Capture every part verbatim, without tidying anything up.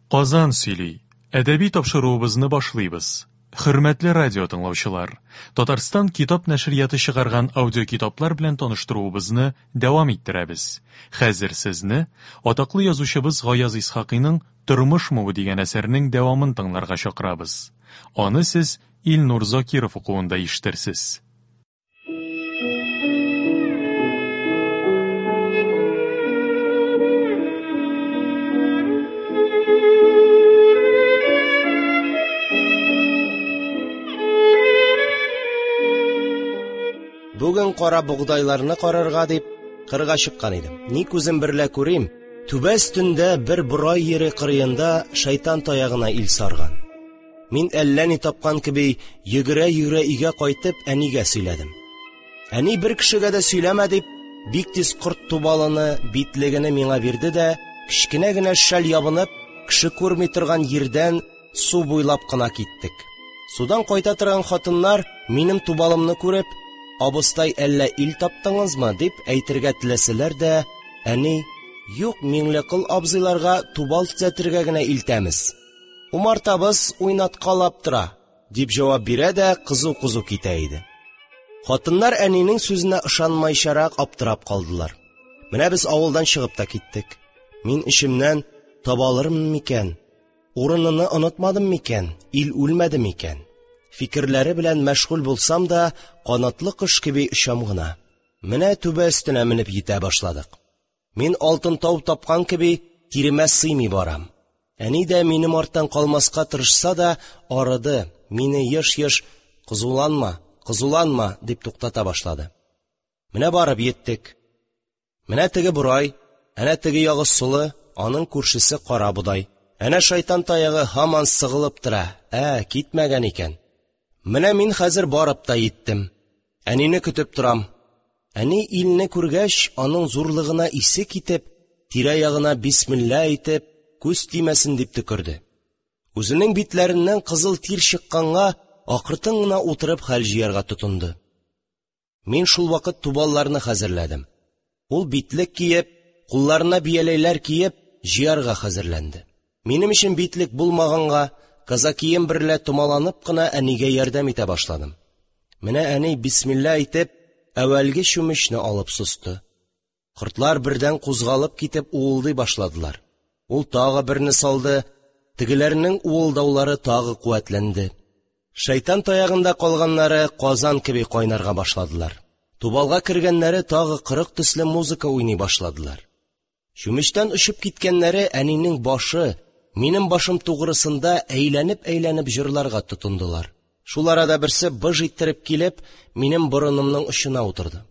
Казан сөйли. Әдәби тапшыруыбызны башлыйбыз. Хөрмәтле радио тыңлаучылар, Татарстан китап нәшрияты чыгарган аудиокитаплар белән таныштыруыбызны дәвам иттерәбез. Хәзер сезне атаклы язучыбыз Гаяз Исхакыйның Тормышмы бу дигән әсәрнең дәвамын тыңларга чакырабыз. Аны сез Илнур Закиров укуында ишетерсез. Бүген кара богдайларны карарга дип кырга чыккан идем. Ни күзем берлә күрим, түбә өстендә бер борай җире кырыенда шайтан таягына ил сарган. Мин әллә ни тапкан кеби, йөгерә-йөгерә өйгә кайтып, әнигә сөйләдем. Әни, бер кешегә дә сөйләмә дип, бик тиз корт тубалыны, битлегене миңа бирде дә, кечкенә генә шәл ябынып, кеше күрми торган җирдән су буйлап кына киттек. Судан кайта торган хатыннар минем тубалымны күреп, «Абыстай, әллә ил таптыңызмы?» – дип әйтергә теләсәләр дә, әни: «Юк, Миңлекол абзыйларга тубал төзәтергә генә илтәмез. Умартабыз уйнаткалап тора», – дип җавап бирә дә кызу-кызу китә иде. Хатыннар әнинең сүзенә ышанмайчарак аптырап калдылар. Менә без авылдан чыгып та киттек. Мин эчемнән таба алырмын микән? Урыныны онытмадым микән? Ил үлмәде микән? Фикерләре белән мәшгуль булсам да, канатлы кош кеби очам гына. Менә түбә өстенә менеп җитә башладык. Мин алтын тау тапкан кеби тиремә сыймый барам. Әни дә минем арттан калмаска тырышса да, арыды, мине еш-еш «Кызуланма, кызуланма» дип туктата башлады. Менә барып җиттек. Менә теге борай, әнә теге ягы солы, аның күршесе кара бодай. Әнә шайтан таягы һаман сыгылып тора. Ә, китмәгән икән. Менә мин хәзер барып та җиттем. Әнине көтеп торам. Әни илне күргәч, аның зурлыгына исе китеп, тирә-ягына бисмилла әйтеп, күз тимәсен дип төкерде. Үзенең битләреннән кызыл тир чыкканга, акыртын гына утырып хәл җыярга тотынды. Мин шул вакыт тубалларны хәзерләдем. Ул битлек киеп, кулларына бияләйләр киеп, җыярга хәзерләнде. Минем өчен битлек булмаганга, казакием берлә томаланып кына әнигә ярдәм итә башладым. Менә әни бисмилла әйтеп, әүвәлге чүмечне алып состы. Кортлар бердән кузгалып китеп уылдый башладылар. Ул тагы берне салды, тегеләрнең уылдаулары тагы куәтләнде. Шайтан таягында калганнары казан кеби кайнарга башладылар. Тубалга кергәннәре тагы кырык төсле музыка уйный башладылар. Чүмечтән очып киткәннәре әнинең башы, минем башым тугрысында әйләнеп-әйләнеп җырларга тотындылар. Шул арада берсе быж иттереп килеп, минем борынымның очына утырды.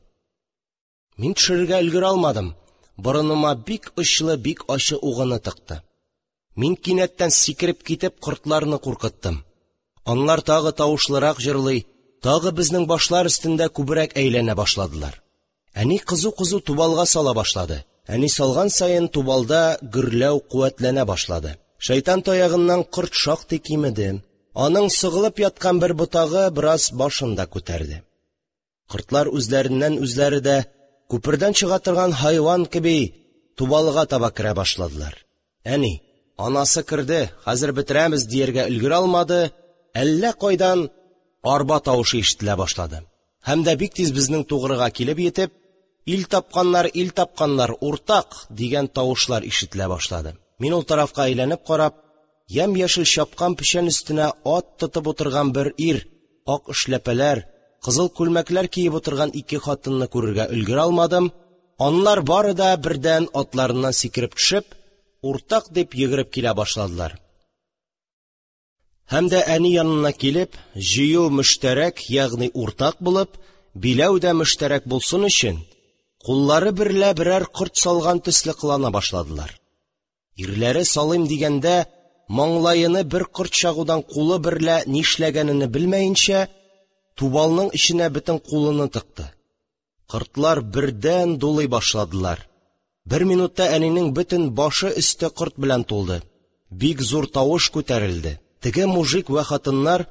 Мин төшерергә өлгерә алмадым. Борыныма бик очлы, бик ачы угыны тыкты. Мин кинәттән сикереп китеп кортларны куркыттым. Анлар тагы тавышлырак җырлый, тагы безнең башлар өстендә күбрәк әйләнә башладылар. Әни кызу-кызу тубалга сала башлады. Әни салган саен тубалда гөрләү куәтләнә башлады. Шайтан таягыннан корт шактый кимеде. Аның сыгылып яткан бер ботагы бераз башын да күтәрде. Кортлар үзләреннән үзләре дә күпердән чыга торган хайван кеби тубалга таба керә башладылар. Әни, анасы керде, хәзер бетерәмез дияргә өлгерә алмады, әллә кайдан арба тавышы ишетелә башлады. Һәм дә бик тиз безнең тугрыга килеп җитеп, ил тапканнар, ил тапканнар, уртак дигән тавышлар ишетелә башлады. Мин ул тарафка әйләнеп карап, ямь-яшел чапкан печән өстенә ат тотып утырган бер ир, ак эшләпәләр, кызыл күлмәкләр киеп утырган ике хатынны күрергә өлгерә алмадым. Анлар бары да бердән атларыннан сикереп төшеп, уртак дип йөгереп килә башладылар. Һәм дә әни янына килеп, җыю мөштәрәк, ягъни уртак булып, биләү дә мөштәрәк булсын өчен, куллары берлә берәр корт салган төсле кылана башладылар. Ирләре салыйм дигәндә, маңлаены бер корт чагудан кулы берлә нишләгәнене белмәенчә, тубалның эченә бөтен кулыны тыкты. Кортлар бердән дулый башладылар. Бер минутта әнинең бөтен башы өсте корт белән тулды. Бик зур тавыш күтәрелде. Теге мужик вә хатыннар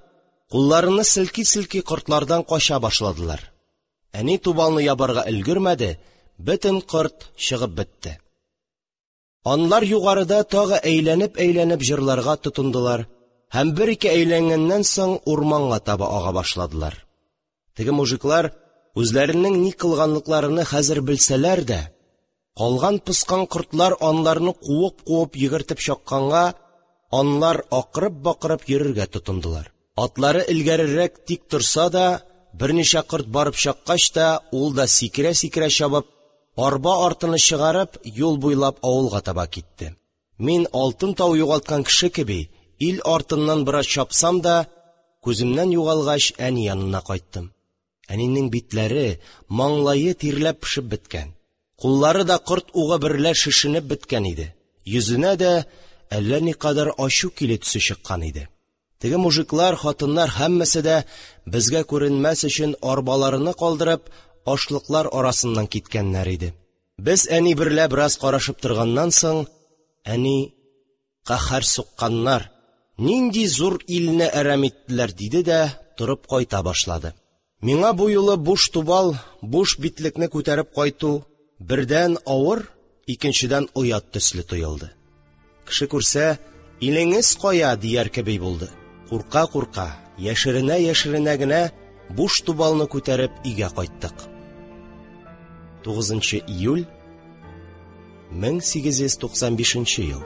кулларыны селки-селки кортлардан кача башладылар. Әни тубалны ябарга өлгермәде, бөтен корт чыгып бетте. Анлар югарыда тагы әйләнеп-әйләнеп җырларга тотындылар һәм бер-ике әйләнгәннән соң урманга таба ага башладылар. Теге мужиклар үзләренең ни кылганлыкларыны хәзер белсәләр дә, калган-поскан кортлар анларны куып-куып йөгертеп чакканга, анлар акырып-бакырып йөрергә тотындылар. Атлары элгәрерәк тик торса да, берничә корт барып чаккач та, ул да сикерә-сикерә чабып, арба артыны чыгарып, юл буйлап авылга таба китте. Мин, алтын тау югалткан кеше кеби, ил артыннан бераз чапсам да, күземнән югалгач, әни янына кайттым. Әнинең битләре, маңлае тирләп-пешеп беткән, куллары да корт угы берлә шешенеп беткән иде. Йөзенә дә әллә никадәр ачу килү төсе чыккан иде. Теге мужиклар, хатыннар һәммәсе дә, безгә күренмәс өчен арбаларыны калдырып, ашлыклар арасыннан киткәннәр иде. Без әни берлә бераз карашып торганнан соң, әни: «Каһәр сукканнар, нинди зур илне әрәм иттеләр», – диде дә торып кайта башлады. Миңа бу юлы буш тубал, буш битлекне күтәреп кайту бердән авыр, икенчедән оят төсле тоелды. Кеше күрсә, «Илеңез кая?» дияр кеби булды. Курка-курка, яшеренә-яшеренә генә буш тубалны күтәреп өйгә кайттык. тугызынчы июль мең сигез йөз туксан бишенче ел.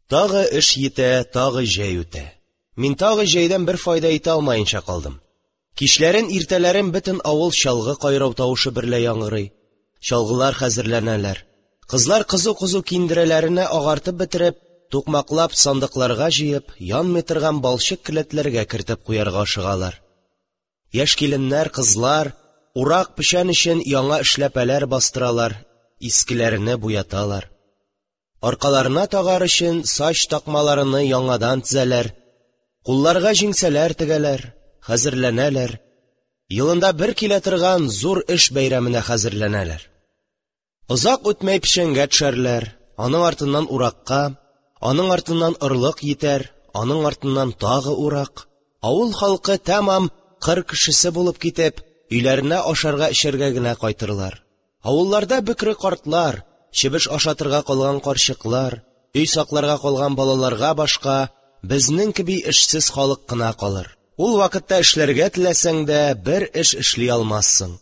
Тагы эш йитә, тагы җәй үтә. Мин тагы җәйдән бер файда итә алмаенча калдым. Кичләрен, иртәләрен бөтен авыл чалгы кайрау тавышы берлә яңгырый. Чалгылар хәзерләнәләр. Кызлар кызу-кызу киндерәләренә агартып бетереп, тукмаклап сандыкларга җыеп, янмый торган балчык келәтләргә кертеп куярга ашыгалар. Яшь киленнәр, кызлар урак печән өчен яңа эшләпәләр бастыралар, искеләрне буяталар. Аркаларына тагар өчен сач такмаларыны яңадан тезәләр, кулларга җиңсәләр тегәләр, хәзерләнәләр. Елында бер килә торган зур эш бәйрәменә хәзерләнәләр. Озак үтмәй печәнгә төшәрләр, аның артыннан уракка, аның артыннан орлык йитәр, аның артыннан тагы урак. Авыл халкы тәмам кыр кешесе булып китеп, өйләренә ашарга эчәргә генә кайтырлар. Авылларда бөкре картлар, чебеш ашатырга калган карчыклар, өй сакларга калган балаларга башка безнең кеби эшсез халык кына калыр. Ул вакытта эшләргә теләсәң дә бер эш эшли алмассың.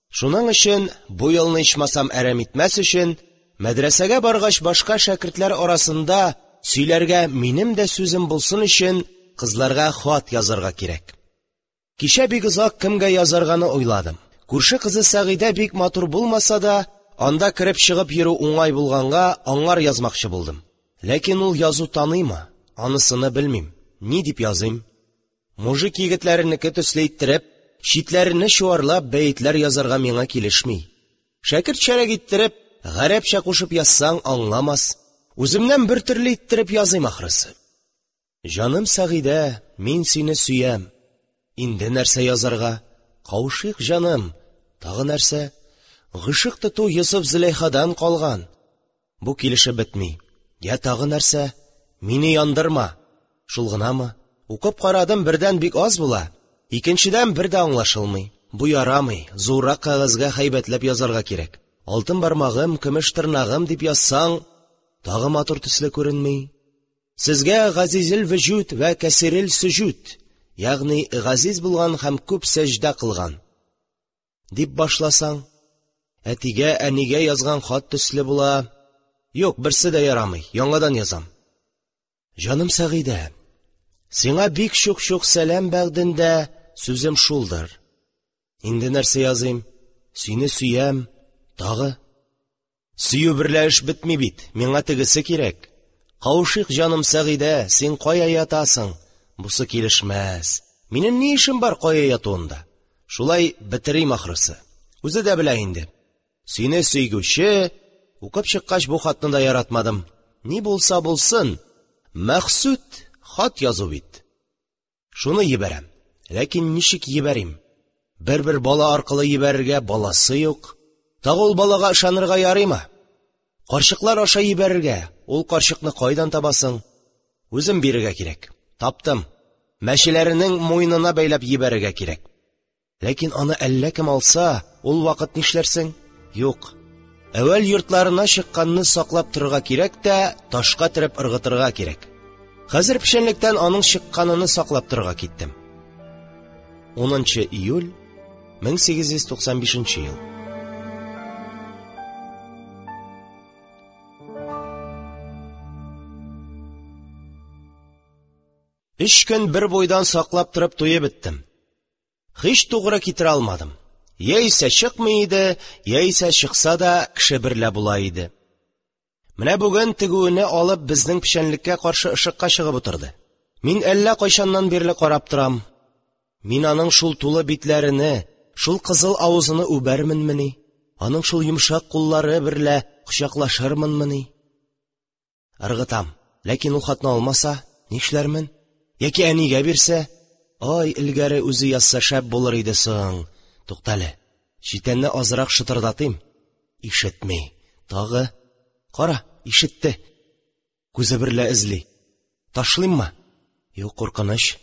Шуның өчен бу елны ичмасам әрәм итмәс өчен, мәдрәсәгә баргач башка шәкертләр арасында сөйләргә минем дә сүзем булсын өчен кызларга хат язарга кирәк. Кичә бик озак кемгә язарганы уйладым. Күрше кызы Сәгыйдә бик матур булмаса да, анда кереп чыгып йөрү уңай булганга аңар язмакчы булдым. Ләкин ул язу таныймы? Анысыны белмим. Ни дип языйм? Мужик егетләренеке төсле иттереп, читләрне чуарлап бәетләр язарга миңа килешми. Шәкертчәрәк иттереп, гарәпчә кушып язсаң аңламас. Үземнән бер төрле иттереп языйм ахрысы. Җаным Сәгыйдә, мин сине сөям. Инде нәрсә язарга? Кавышыйк, җаным. Тагы нәрсә? Гышык тоту Йосыф Зөләйхадан калган. Бу килешеп бетми. Я тагы нәрсә? Мине яндырма. Шул гынамы? Укып карадым, бердән бик аз була, икенчедән бер дә аңлашылмый. Бу ярамый, зуррак кәгазьгә һәйбәтләп язарга кирәк. Алтын бармагым, көмеш тырнагым дип язсаң, тагы матур төсле күренми. Сезгә газизил вөҗүд вә кәсирил сөҗүд, ягъни газиз булган һәм күп сәҗдә кылган дип башласаң, әтигә, әнигә язган хат төсле була. Юк, берсе дә ярамый, яңадан язам. Җаным Сәгыйдә, сиңа бик чук-чук сәлам бәгъдендә сүзем шулдыр. Инде нәрсә языйм? Сине сөям, тагы. Сөю берлә эш бетми бит, миңа тегесе кирәк. Кавышыйк, җаным Сәгыйдә, син кая ятасың? Бусы килешмәс. Минем ни эшем бар кая ятуында? Шулай бетерим ахрысы. Үзе дә белә инде. Сине сөйгүче, укып чыккач бу хатны да яратмадым. Ни булса булсын, мәхсүд хат язу бит. Шуны ебәрәм. Ләкин ничек ебәрим? Бер-бер бала аркылы ебәрергә баласы юк. Тагы ул балага ышанырга ярыймы? Карчыклар аша ебәрергә, ул карчыкны кайдан табасың? Үзем бирергә кирәк. Таптым. Мәчеләренең муенына бәйләп ебәрергә кирәк. Ләкин аны әллә кем алса, ул вакыт нишләрсең? Юк. Әүвәл йортларына чыкканны саклап торырга кирәк тә, ташка төреп ыргытырга кирәк. Хәзер печәнлектән аның чыкканыны саклап торырга киттем. Унынчы июль мең сигез йөз туксан бишенче ел. Өч көн бер буйдан саклап торып туеп беттем. Һич тугры китерә алмадым. Яисә чыкмый иде, яисә чыкса да кеше берлә була иде. Менә бүген тегүене алып безнең печәнлеккә каршы ышыкка чыгып утырды. Мин әллә кайчаннан бирле карап торам. Мин аның шул тулы битләрене, шул кызыл авызыны үбәрменмени? Аның шул йомшак куллары берлә кочаклашырмынмыни? Ыргытам. Ләкин ул хатны алмаса, нишләрмен? Яки әнигә бирсә? Ай, элгәре үзе язса шәп булыр иде соң. Туктале, читәнне азрак шытырдатыйм. Ишетми. Тагы. Кара, ишетте. Күзе берлә эзли. Ташлыйммы? Юк, куркыныч.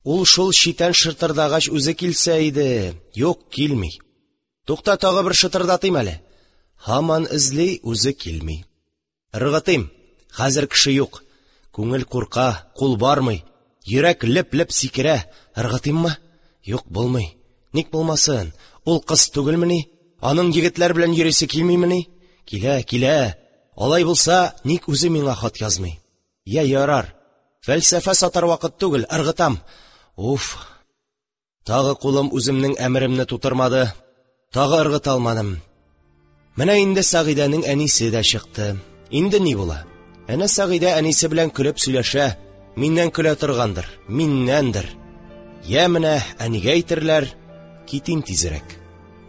Ул шул читән шытырдагач үзе килсә иде. Юк, килми. Тукта, тагы бер шытырдатыйм әле. Һаман эзли, үзе килми. Ыргытыйм. Хәзер кеше юк. Күңел курка, кул бармый. Йөрәк леп-леп сикерә. Ыргытыйммы? Юк, булмый. Ник булмасын? Ул кыз түгелмени? Аның егетләр белән йөрисе килмимени? Килә, килә. Алай булса, ник үзе миңа хат язмый? Я ярар. Фәлсәфә сатар вакыт түгел, ыргытам. Уф. Тагы кулым үземнең әмеремне тутырмады. Тагы ыргыта алмадым. Менә инде Сәгыйдәнең әнисе дә чыкты. Инде ни була? Әнә Сәгыйдә әнисе белән көлеп сөйләшә. Миннән көлә торгандыр, миннәндер. Я менә әнигә әйтерләр, китим тизрәк.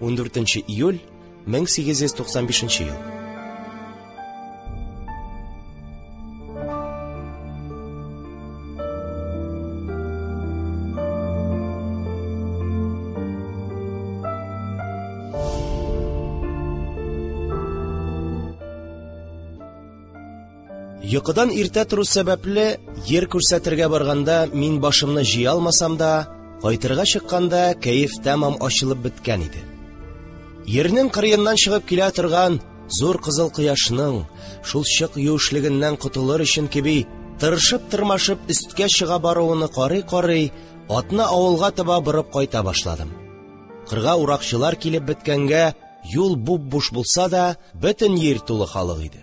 Ундүртенче июль мең сигез йөз туксан бишенче ел. Йокыдан иртә тору сәбәпле, ер күрсәтергә барганда мин башымны җыя алмасам да, кайтырга чыкканда кәеф тәмам ачылып беткән иде. Ернең кырыеннан чыгып килә торган зур кызыл кояшның шул чык юешлегеннән котылыр өчен кеби тырышып-тырмашып өсткә чыга баруыны карый-карый, атны авылга таба борып кайта башладым. Кырга уракчылар килеп беткәнгә юл буп-буш булса да, бөтен ер тулы халык иде.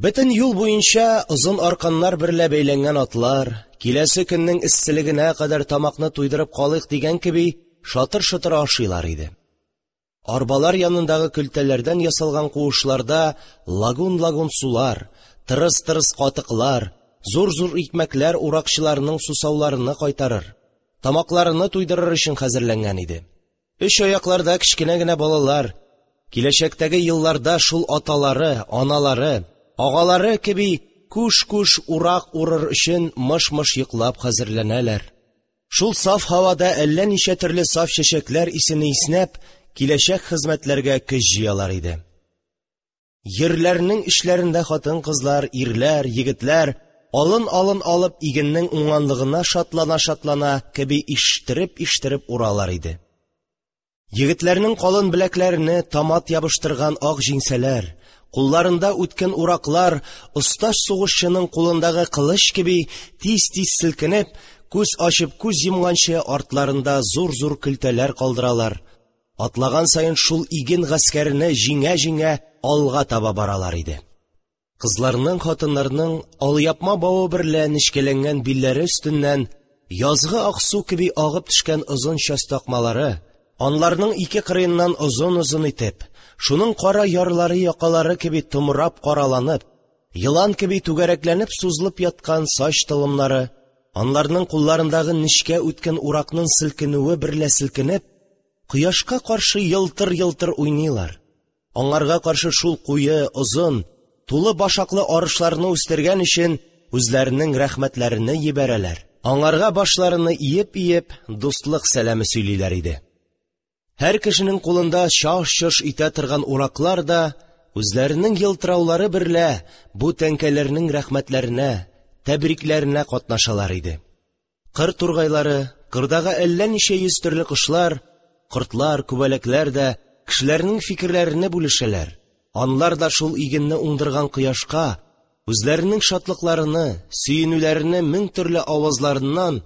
Бөтен юл буенча озын арканнар берлә бәйләнгән атлар, киләсе көннең эсселегенә кадәр тамакны туйдырып калыйк дигән кеби шатыр-шытыр ашыйлар иде. Арбалар янындагы көлтәләрдән ясалган куышларда лагун-лагун сулар, тырыс-тырыс катыклар, зур-зур икмәкләр уракчыларның сусауларыны кайтарыр, тамакларыны туйдырыр өчен хәзерләнгән иде. Өч аякларда кечкенә генә балалар, киләчәктәге елларда шул аталары, аналары, агалары кеби күш-күш урак урыр өчен мыш-мыш йоклап хәзерләнәләр. Шул саф һавада әллә ничә төрле саф чәчәкләр исене иснәп, киләчәк хезмәтләргә көч җыялар иде. Ерләрнең эшләрендә хатын-кызлар, ирләр, егетләр алын-алын алып игеннең уңганлыгына шатлана-шатлана кеби иштереп-иштереп уралар иде. Егетләрнең калын беләкләренә томат ябыштырган ак җиңсәләр, кулларында үткен ураклар, оста сугышчының кулындагы кылыч кеби тиз-тиз селкенеп, күз ачып күз йомганчы артларында зур-зур көлтәләр калдыралар. Атлаган саен шул иген гаскәренә җиңә-җиңә алга таба баралар иде. Кызларның, хатыннарның алъяпма бавы берлә нечкәләнгән билләре өстеннән язгы аксу кеби агып төшкән озын чәч такмалары, анларның ике кырыеннан озын-озын итеп, шуның кара ярлары якалары кеби томрап караланып, елан кеби түгәрәкләнеп сузылып яткан сач толымнары, анларның кулларындагы нечкә үткен уракның селкенүе берлә селкенеп, кояшка каршы йылтыр-йылтыр уйныйлар. Аңарга каршы шул куе, озын, тулы башаклы арышларны үстергән өчен үзләренең рәхмәтләрен җибәрәләр. Аңарга башларыны иеп-иеп дуслык сәламе сөйлиләр иде. Һәр кешенең кулында чаш-чош итә торган ураклар да үзләренең йылтыраулары берлә бу тәңкәләрнең рәхмәтләренә, тәбрикләренә катнашалар иде. Кыр тургайлары, кырдагы әллә ничә йөз төрле кошлар, кортлар, күбәләкләр дә кешеләрнең фикерләрене бүлешәләр, анлар да шул игенне уңдырган кояшка үзләренең шатлыкларыны, сөенүләрене мең төрле авазларыннан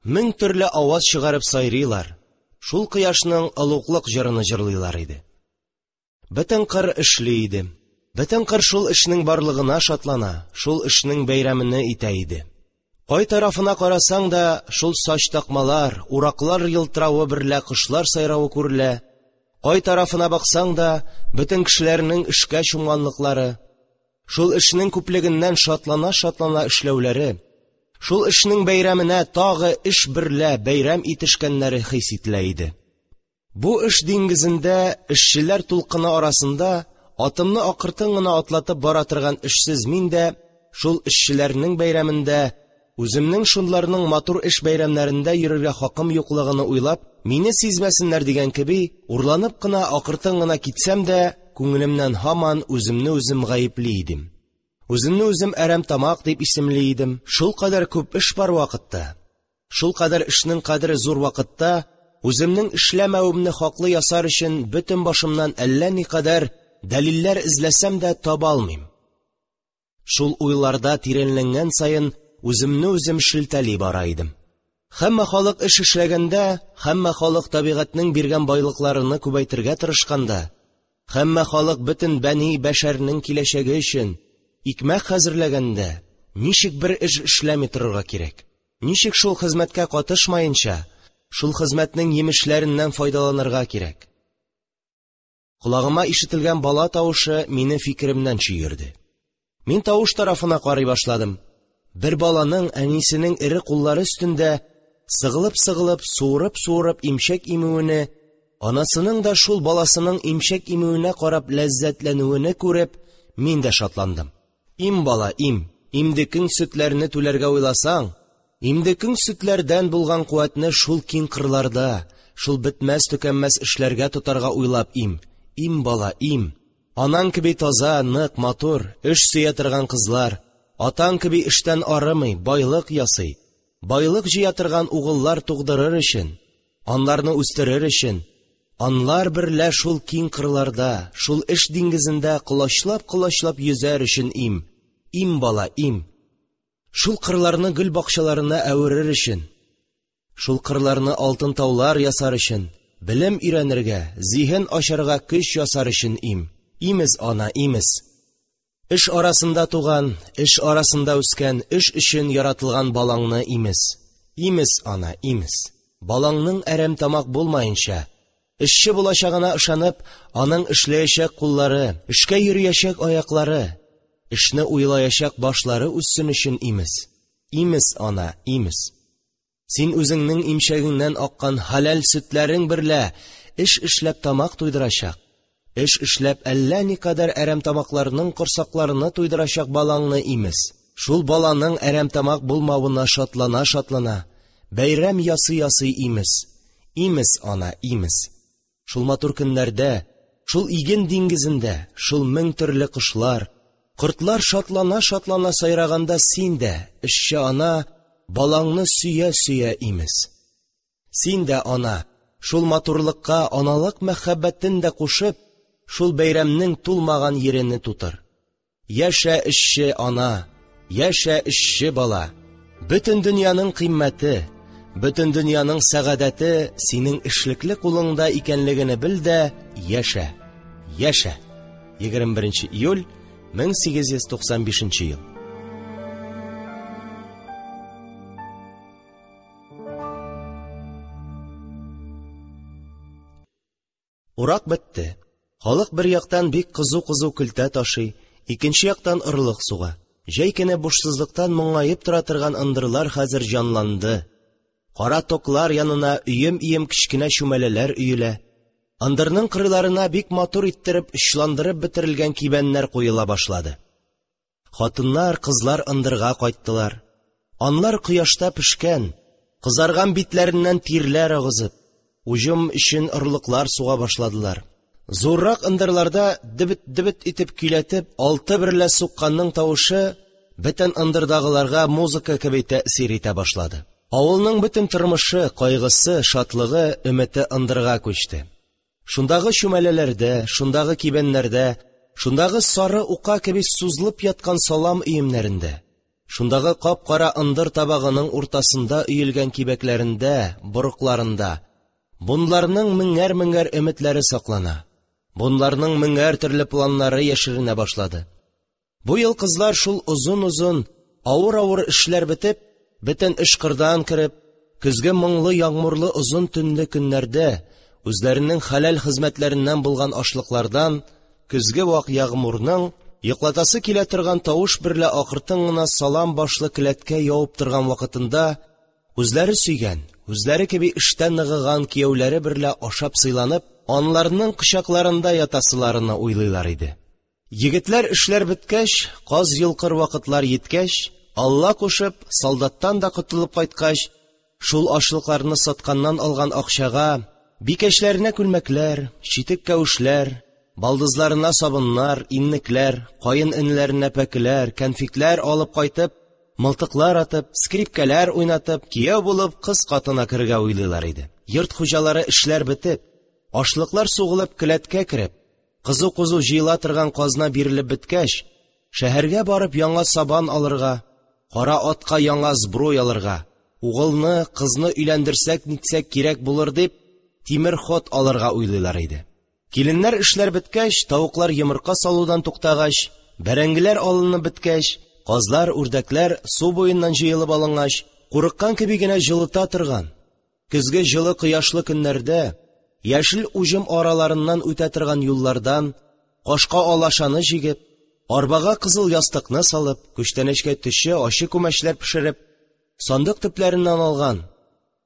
мең төрле аваз чыгарып сайрыйлар, шул кояшның олуглык җырыны җырлыйлар иде. Бөтен кыр эшли иде. Бөтен кыр шул эшнең барлыгына шатлана, шул эшнең бәйрәмене итә иде. Кай тарафына карасаң да, шул сач такмалар, ураклар елтыравы берлә кошлар сайравы күрелә. Кай тарафына баксаң да, бөтен кешеләрнең эшкә чумганлыклары, шул эшнең күплегеннән шатлана-шатлана эшләүләре, шул эшнең бәйрәменә тагы эш берлә бәйрәм итешкәннәре хис ителә иде. Бу эш диңгезендә, эшчеләр тулкыны арасында атымны акыртын гына атлатып бара торган эшсез мин дә шул эшчеләрнең бәйрәмендә үземнең шунларның матур эш бәйрәмнәрендә йөрергә хакым юклыгыны уйлап, мине сизмәсеннәр дигән кеби, урланып кына акыртын гына китсәм дә, күңелемнән һаман үземне үзем гаепли идем. Үземне үзем әрәм тамак дип исемли идем. Шул кадәр күп эш бар вакытта, шул кадәр эшнең кадере зур вакытта, үземнең эшләмәвемне хаклы ясар өчен бөтен башымнан әллә никадәр дәлилләр эзләсәм дә таба алмыйм. Шул уйларда тирәнләнгән саен үземне үзем шелтәли бара идем. Һәммә халык эш эшләгәндә, һәммә халык табигатьнең биргән байлыкларыны күбәйтергә тырышканда, һәммә халык бөтен бәни бәшәрнең киләчәге өчен икмәк хәзерләгәндә, ничек бер эш эшләми торырга кирәк? Ничек шул хезмәткә катышмаенча, шул хезмәтнең йимешләреннән файдаланырга кирәк? Колагыма ишетелгән бала тавышы мине фикеремнән чөерде. Мин тавыш тарафына карый башладым. Бер баланың әнисенең эре куллары өстендә сыгылып-сыгылып, суырып-суырып имчәк имүене, анасының да шул баласының имчәк имүенә карап ләззәтләнүене күреп, мин дә шатландым. Им бала, им, имдекең сөтләрне түләргә уйласаң, имдекең сөтләрдән булган куәтне шул киң кырларда, шул бетмәс-төкәнмәс эшләргә тотарга уйлап им. Им бала, им. Анаң кеби таза, нык, матур, эш сөя торган кызлар, атаң кеби эштән арымый, байлык ясый, байлык җыя торган угыллар тугдырыр өчен, анларны үстерер өчен, анлар берлә шул киң кырларда, шул эш диңгезендә колачлап-колачлап йөзәр өчен им. Им бала, им. Шул кырларны гөл бакчаларына әверер өчен, шул кырларны алтын таулар ясар өчен, белем өйрәнергә, зиһен ачарга көч ясар өчен им. Имез, ана, имез. Эш арасында туган, эш арасында үскән, эш өчен яратылган балаңны имез. Имез, ана, имез. Балаңның әрәм тамак булмаенча, эшче булачагына ышанып, аның эшләячәк куллары, эшкә йөриячәк аяклары, эшне уйлаячак башлары үссен өчен имез. Имез, ана, имез. Син үзеңнең имчәгеңнән аккан хәләл сөтләрең берлә эш эшләп тамак туйдырачак, эш эшләп әллә никадәр әрәм тамакларның корсакларыны туйдырачак балаңны имез. Шул баланың әрәм тамак булмавына шатлана-шатлана, бәйрәм ясый-ясый имез. Имез, ана, имез. Шул матур көннәрдә, шул иген диңгезендә, шул мең төрле кошлар, кортлар шатлана-шатлана сайраганда син дә, эшче ана, балаңны сөя-сөя имез. Син дә, ана, шул матурлыкка аналык мәхәббәтен дә кушып, шул бәйрәмнең тулмаган ерене тутыр. Яшә эшче ана, яшә эшче бала. Бөтен дөньяның кыйммәте, бөтен дөньяның сәгадәте синең эшлекле кулыңда икәнлегене бел дә яшә. Яшә. егерме беренче июль мең сигез йөз туксан бишенче ел. Урак бетте. Халык бер яктан бик кызу-кызу көлтә ташый, икенче яктан орлык суга. Җәй көне бушсызлыктан моңаеп тора торган ындырлар хәзер җанланды. Кара токлар янына өем-өем кечкенә чүмәләләр өелә. Ындырның кырыйларына бик матур иттереп очландырып бетерелгән кибәннәр куела башлады. Хатыннар, кызлар ындырга кайттылар. Анлар кояшта пешкән, кызарган битләреннән тирләр агызып, уҗым өчен орлыклар суга башладылар. Зуррак ындырларда дебет-дебет итеп көйләтеп, алты берлә сукканның тавышы бөтен ындырдагыларга музыка кеби тәэсир итә башлады. Авылның бөтен тормышы, кайгысы, шатлыгы, өмете ындырга күчте. Шундагы чүмәләләрдә, шундагы кибәннәрдә, шундагы сары ука кеби сузылып яткан салам өемнәрендә, шундагы кап-кара ындыр табагының уртасында өелгән кибәкләрендә, борыкларында бунларның меңәр-меңәр өметләре саклана, бунларның меңәр төрле планнары яшеренә башлады. Бу ел кызлар шул озын-озын, авыр-авыр эшләр бетеп, бөтен эш кырдан кереп, көзге моңлы ягъмурлы озын төнле көннәрдә үзләренең хәләл хезмәтләреннән булган ашлыклардан көзге вак ягъмурның йоклатасы килә торган тавыш берлә акыртын гына салам башлы келәткә явып торган вакытында үзләре сөйгән, үзләре кеби эштән ныгыган кияүләре берлә ашап сыйланып, анларның кочакларында ятасыларыны уйлыйлар иде. Егетләр эшләр беткәч, каз йолкыр вакытлар йиткәч, Алла кушып, солдаттан да котылып кайткач, шул ашлыкларны сатканнан алган акчага бикәчләренә күлмәкләр, читек-кәвешләр, балдызларына сабыннар, иннекләр, каен энеләренә пәкеләр, конфетлар алып кайтып, мылтыклар атып, скрипкәләр уйнатып, кияү булып кыз катына керергә уйлыйлар иде. Йорт хуҗалары эшләр бетеп, ашлыклар сугылып келәткә кереп, кызу-кызу җыела торган казна бирелеп беткәч, шәһәргә барып яңа сабан алырга, кара атка яңа сбруй алырга, угылны, кызны өйләндерсәк-нитсәк кирәк булыр дип, тимер ход алырга уйлыйлар иде. Киленнәр эшләр беткәч, тавыклар йомырка салудан туктагач, бәрәңгеләр алынып беткәч, казлар, үрдәкләр су буеннан җыелып алынгач, курыккан кеби генә җылыта торган, көзге җылы кояшлы көннәрдә яшел уҗым араларыннан үтә торган юллардан кашка алашаны җигеп, арбага кызыл ястыкны салып, күчтәнәчкә төче ачы күмәчләр пешереп, сандык төпләреннән алган,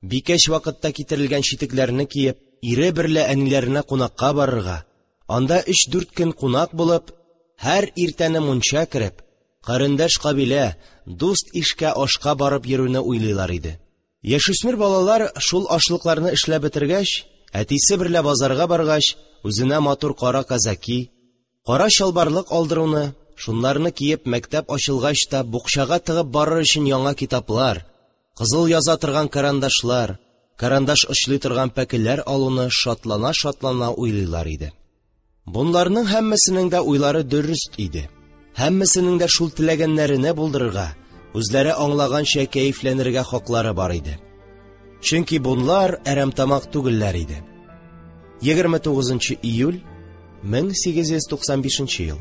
бикәч вакытта китерелгән читекләрне киеп, ире берлә әниләренә кунакка барырга, анда өч-дүрт көн кунак булып, һәр иртәне мунча кереп, карендәш кабилә, дуст ишкә ашка барып йөрүне уйлыйлар иде. Яшүсмер балалар шул ашлыкларны эшләп бетергәч, әтисе берлә базарга баргач, үзенә матур кара казаки, кара чалбарлык алдыруны, шунларны киеп мәктәп ачылгач та букчага тыгып барыр өчен яңа китаплар, кызыл яза торган карандашлар, карандаш очлый торган пәкеләр алуны шатлана-шатлана уйлыйлар иде. Бунларның һәммәсенең дә уйлары дөрест иде. Һәммәсенең дә шул теләгәннәренә булдырырга, үзләре аңлаганча кәефләнергә хаклары бар иде. Чөнки бунлар әрәмтамак түгелләр иде. егерме тугызынчы июль мең сигез йөз туксан бишенче ел.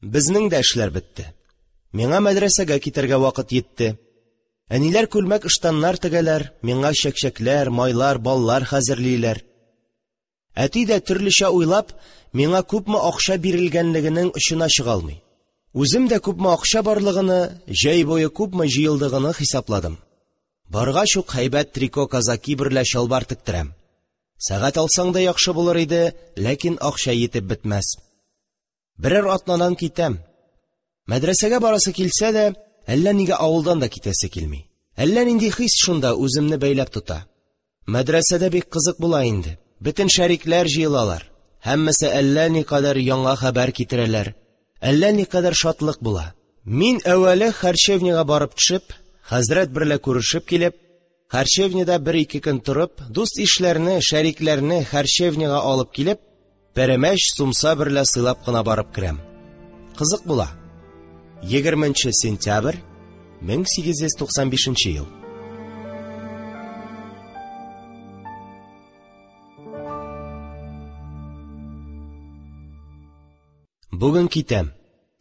Безнең дә эшләр бетте. Миңа мәдрәсәгә китәргә вакыт йитте. Әниләр күлмәк-ыштаннар тегәләр, миңа чәкчәкләр, майлар, баллар хәзерлиләр. Әти дә төрлечә уйлап, миңа күпме акча бирелгәнлегенең очына чыга алмый. Үзем дә күпме акча барлыгыны, җәй буе күпме җыелдыгыны хисапладым. Баргач ук һәйбәт трико казаки берлә чалбар тектерәм. Сәгать алсаң да яхшы булыр иде, ләкин акча йитеп бетмәс. Берәр атнадан китәм. Мәдрәсәгә барасы килсә дә, әллә нигә авылдан да китәсе килми. Әллә нинди хис шунда үземне бәйләп тота. Мәдрәсәдә бик кызык була инде. Бөтен шәрикләр җыелалар. Һәммәсе әллә никадәр яңа хәбәр китерәләр. Әллә никадәр шатлык була. Мин әүвәле харчевняга барып төшеп, хәзрәт берлә күрешеп килеп, харчевняда бер-ике көн торып, дуст ишләрне, шәрикләрне харчевняга алып килеп, пәрәмәч, сумса берлә сыйлап кына барып керәм. Кызык була. егерменче сентябрь мең сигез йөз туксан бишенче ел. Бүген китәм.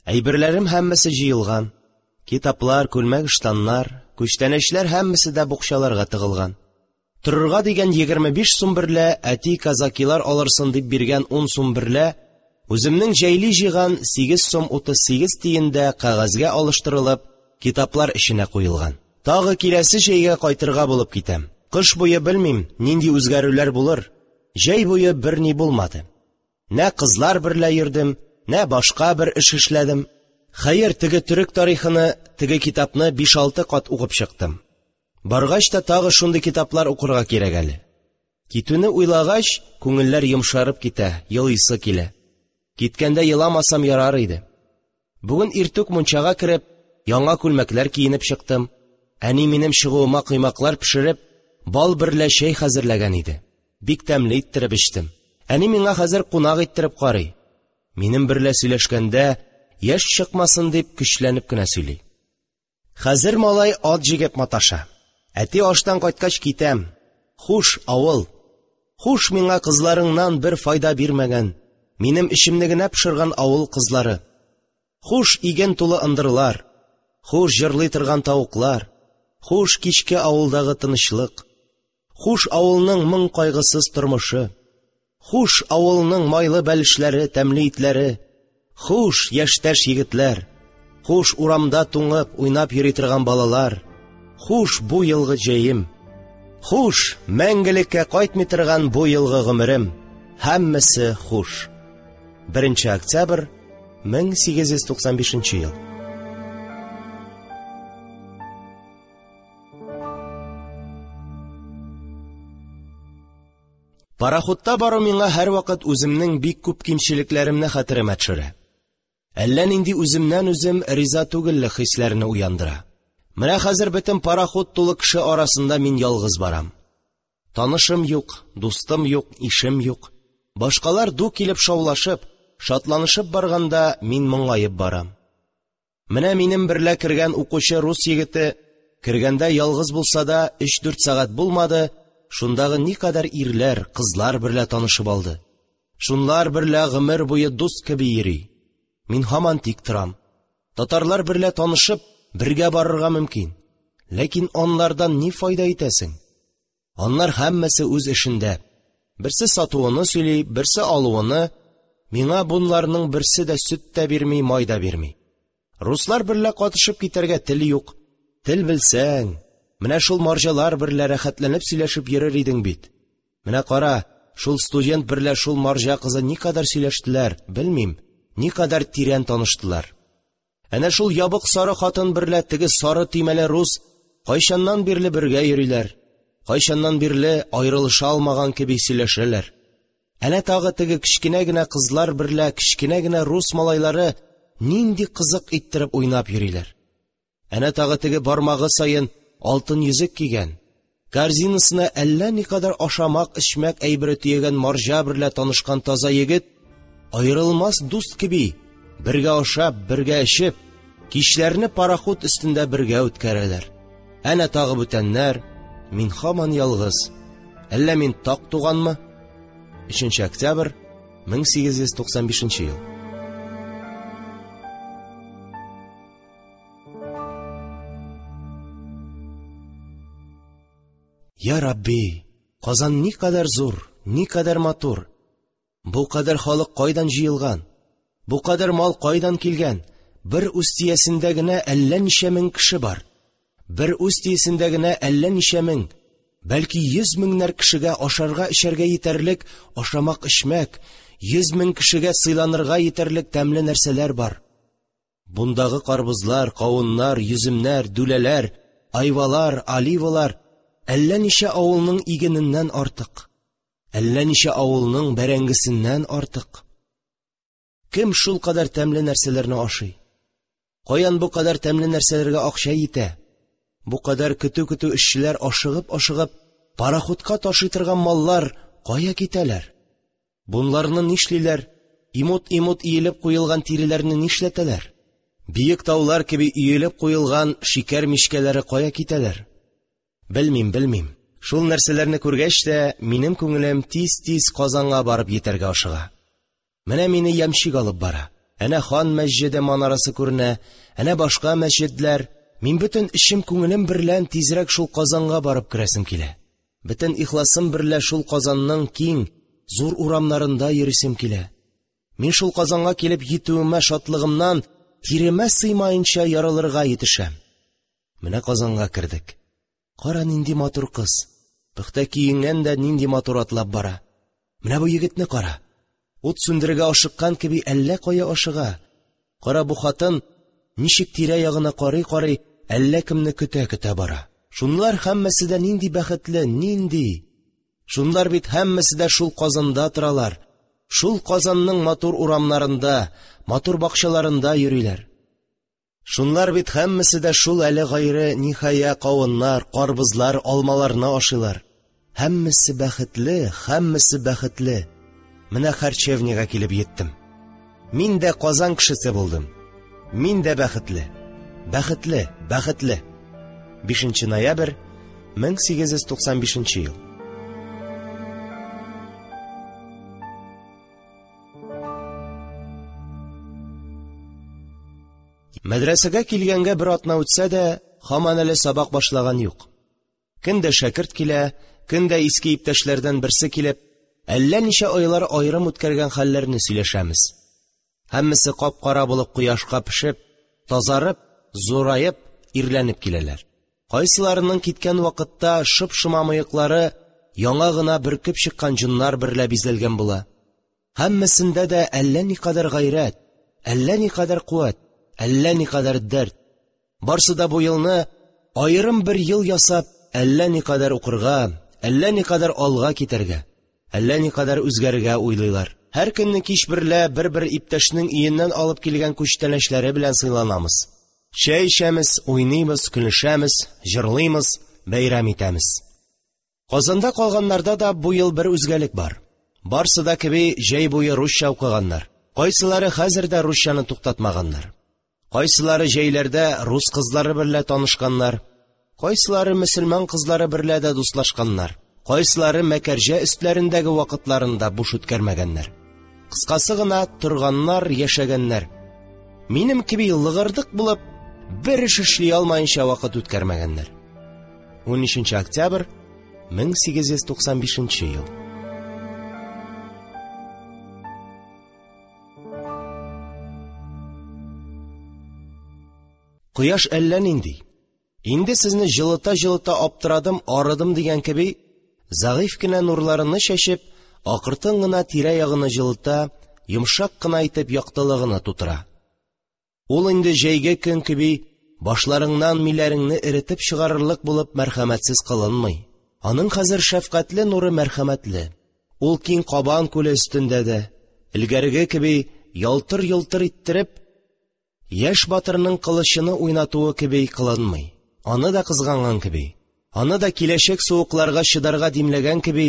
Әйберләрем һәммәсе җыелган. Китаплар, күлмәк-ыштаннар, күчтәнәчләр һәммәсе дә букчаларга тыгылган. Торырга дигән егерме биш сум берлә әти казакилар алырсын дип биргән ун сум берлә үземнең җәйли җыйган сигез сум утыз сигез тиен дә кәгазьгә алыштырылып, китаплар эченә куелган. Тагы киләсе җәйгә кайтырга булып китәм. Кыш буе белмим, нинди үзгәрүләр булыр. Җәй буе берни булмады. Нә кызлар берлә йөрдем, нә башка бер эш эшләдем. Хәер, теге төрек тарихыны, теге китапны биш-алты кат укып чыктым. Баргач та тагы шундый китаплар укырга кирәк әле. Китүне уйлагач, күңелләр йомшарып китә, елыйсы килә. Киткәндә еламасам ярар иде. Бүген иртүк мунчага кереп, яңа күлмәкләр киенеп чыктым. Әни минем чыгуыма коймаклар пешереп, бал берлә чәй хәзерләгән иде. Бик тәмле иттереп эчтем. Әни миңа хәзер кунак иттереп карый. Минем берлә сөйләшкәндә, яшь чыкмасын дип көчләнеп кенә сөйли. Хәзер малай ат җигеп маташа. Әти аштан кайткач китәм. Хуш, авыл. Хуш миңа кызларыңнан бер файда бирмәгән, минем эчемне генә пошырган авыл кызлары. Хуш иген тулы ындырлар. Хуш җырлый торган тавыклар. Хуш кичке авылдагы тынычлык. Хуш авылның моң кайгысыз тормышы. Хуш авылның майлы бәлешләре, тәмле итләре. Хуш яшьтәш егетләр. Хуш урамда туңып уйнап йөри торган балалар. Хуш бу елгы җәем. Хуш мәңгелеккә кайтмый торган бу елгы гомерем. Һәммәсе хуш. беренче октябрь мең сигез йөз туксан бишенче ел. Пароходта бару миңа һәрвакыт үземнең бик күп кимчелекләремне хәтеремә төшерә. Әллә нинди үземнән үзем риза түгеллек хисләрне уяндыра. Менә хәзер бөтен пароход тулы кеше арасында мин ялгыз барам. Танышым юк, дустым юк, ишем юк. Башкалар ду килеп шаулашып, шатланышып барганда мин моңаеп барам. Менә минем берлә кергән укучы рус егете, кергәндә ялгыз булса да өч-дүрт сәгать булмады, шундагы никадәр ирләр, кызлар берлә танышып алды. Шунлар берлә гомер буе дус кеби йөри. Мин һаман тик торам. Татарлар берлә танышып, бергә барырга мөмкин. Ләкин анлардан ни файда итәсең? Анлар һәммәсе үз эшендә. Берсе сатуыны сөйли, берсе алуыны. Миңа бунларның берсе дә сөт тә бирми, май да бирми. Руслар берлә катышып китәргә тел юк. Тел белсәң, менә шул марҗалар берлә рәхәтләнеп сөйләшеп йөрер идең бит. Менә кара, шул студент берлә шул марҗа кызы никадәр сөйләштеләр, белмим, никадәр тирән таныштылар. Әнә шул ябык сары хатын берлә теге сары төймәле рус кайчаннан бирле бергә йөриләр, кайчаннан бирле аерылыша алмаган кеби сөйләшәләр. Әнә тагы теге кечкенә генә кызлар берлә кечкенә генә рус малайлары нинди кызык иттереп уйнап йөриләр. Әнә тагы теге бармагы саен алтын йөзек кигән, корзинасына әллә никадәр ашамак-эчмәк әйбере төягән марҗа берлә танышкан таза егет аерылмас дуст кеби бергә ашап, бергә эчеп, кичләрне пароход өстендә бергә үткәрәләр. Әнә тагы бүтәннәр, мин һаман ялгыз. Әллә мин так туганмы? өченче октябрь мең сигез йөз туксан бишенче ел. Я Рабби, Казан никадәр зур, никадәр матур. Бу кадәр халык кайдан җыелган? Бу кадәр мал кайдан килгән? Бер Устиясендә генә әллә ничә мең кеше бар. Бер Устиясендә генә әллә ничә мең, бәлки йөз меңнәр кешегә ашарга эчәргә җитәрлек ашамак-эчмәк, йөз мең кешегә сыйланырга җитәрлек тәмле нәрсәләр бар. Бундагы карбызлар, кавыннар, йөземнәр, дүләләр, айвалар, оливалар әллә ничә авылның игененнән артык, әллә ничә авылның бәрәңгесеннән артык. Кем шул кадәр тәмле нәрсәләрне ашый? Каян бу кадәр тәмле нәрсәләргә акча җитә? Бу кадәр көтү-көтү эшчеләр ашыгып-ашыгып пароходка ташый торган маллар кая китәләр? Бунларны нишлиләр? Имут-имут иелеп куелган тиреләрне нишләтәләр? Биек таулар кеби иелеп куелган шикәр мичкәләре кая китәләр? Белмим, белмим. Шул нәрсәләрне күргәч тә минем күңелем тиз-тиз Казанга барып җитәргә ашыга. Менә мине ямщик алып бара. Әнә хан мәсҗиде манарасы күренә, әнә башка мәсҗидләр. Мин бөтен эчем күңелем берлән тизрәк шул Казанга барып керәсем килә. Бөтен ихласым берлә шул Казанның киң, зур урамнарында йөрисем килә. Мин шул Казанга килеп җитүемә шатлыгымнан тиремә сыймаенча ярылырга җитешәм. Менә Казанга кердек. Кара нинди матур кыз. Пөхтә киенгән дә нинди матур атлап бара. Менә бу егетне кара. Ут сүндерергә ашыккан кеби әллә кая ашыга. Кара бу хатын ничек тирә-ягына карый-карый әллә кемне көтә-көтә бара. Шунлар һәммәсе дә нинди бәхетле, нинди. Шунлар бит һәммәсе дә шул Казанда торалар. Шул Казанның матур урамнарында, матур бакчаларында йөриләр. Шунлар бит һәммәсе дә шул әле гайре ниһая кавыннар, карбызлар, алмаларны ашыйлар. Һәммәсе бәхетле, һәммәсе бәхетле. Менә харчевнягә килеп җиттем. Мин дә Казан кешесе булдым. Мин дә бәхетле. Бәхетле, бәхетле. бишенче ноябрь мең сигез йөз туксан бишенче ел. Мәдрәсәгә килгәнгә бер атна үтсә дә, һаман әле сабак башлаган юк. Көн дә шәкерт килә, көн дә иске иптәшләрдән берсе килеп, әллә ничә айлар аерым үткәргән хәлләрне сөйләшәмез. Һәммәсе кап-кара булып кояшка пешеп, тазарып, зураеп, ирләнеп киләләр. Кайсыларының киткән вакытта шып-шома мыеклары яңа гына бөркеп чыккан җоннар берлә бизәлгән була. Һәммәсендә дә әллә никадәр гайрәт, әллә никадәр куәт, әллә никадәр дәрт. Барсы да бу елны аерым бер ел ясап, әллә никадәр укырга, әллә никадәр алга китәргә, әллә никадәр үзгәрергә уйлыйлар. Һәр көнне кич берлә бер-бер иптәшнең өеннән алып килгән күчтәнәчләре белән сыйланамыз. Чәй эчәмез, уйныйбыз, көлешәмез, җырлыймыз, бәйрәм итәмез. Казанда калганнарда да бу ел бер үзгәлек бар. Барсы да кеби җәй буе русча укыганнар. Кайсылары хәзер дә русчаны туктатмаганнар. Кайсылары җәйләрдә рус кызлары берлә танышканнар. Кайсылары мөселман кызлары берлә дә дуслашканнар. Кайсылары мәкәрҗә өстләрендәге вакытларында буш үткәрмәгәннәр. Кыскасы гына торганнар, яшәгәннәр. Минем кеби лыгырдык булып бер эш эшли алмаенча вакыт үткәрмәгәннәр. унөченче октябрь мең сигез йөз туксан бишенче ел. Кояш әллә нинди. Инде сезне җылыта-җылыта аптырадым, арыдым дигән кеби, зәгыйфь кенә нурларыны чәчеп, акыртын гына тирә-ягыны җылыта, йомшак кына итеп яктылыгына тутыра. Ул инде җәйге көн кеби башларыңнан миләреңне эретеп чыгарырлык булып мәрхәмәтсез кылынмый. Аның хәзер шәфкатьле нуры мәрхәмәтле. Ул киң Кабан күле өстендә дә, элгәреге кеби ялтыр-йолтыр иттереп, яшь батырның кылычыны уйнатуы кеби кылынмый. Аны да кызганган кеби, аны да киләчәк суыкларга чыдарга димләгән кеби,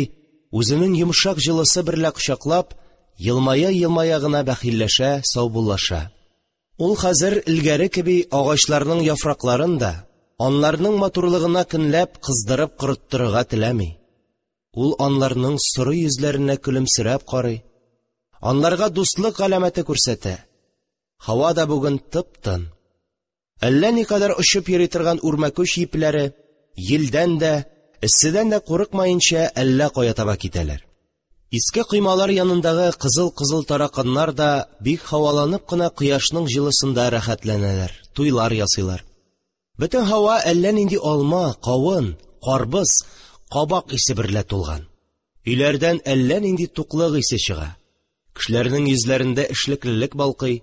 үзенең йомшак җылысы берлә кочаклап, елмая-елмая гына бәхилләшә, саубуллаша. Ул хәзер элгәре кеби агачларның яфракларын да, анларның матурлыгына көнләп кыздырып корыттырырга теләми. Ул анларның соры йөзләренә көлемсерәп карый, анларга дуслык галәмәте күрсәтә. Һава да бүген тып-тын. Әллә никадәр очып йөри торган үрмәкүч ипләре елдән дә, эсседән дә курыкмаенча әллә кая таба китәләр. Иске коймалар янындагы кызыл-кызыл тараканнар да бик һаваланып кына кояшның җылысында рәхәтләнәләр, туйлар ясыйлар. Бөтен һава әллә нинди алма, кавын, карбыз, кабак исе берлә тулган. Өйләрдән әллә нинди туклык исе чыга. Кешеләрнең йөзләрендә эшлеклелек балкый.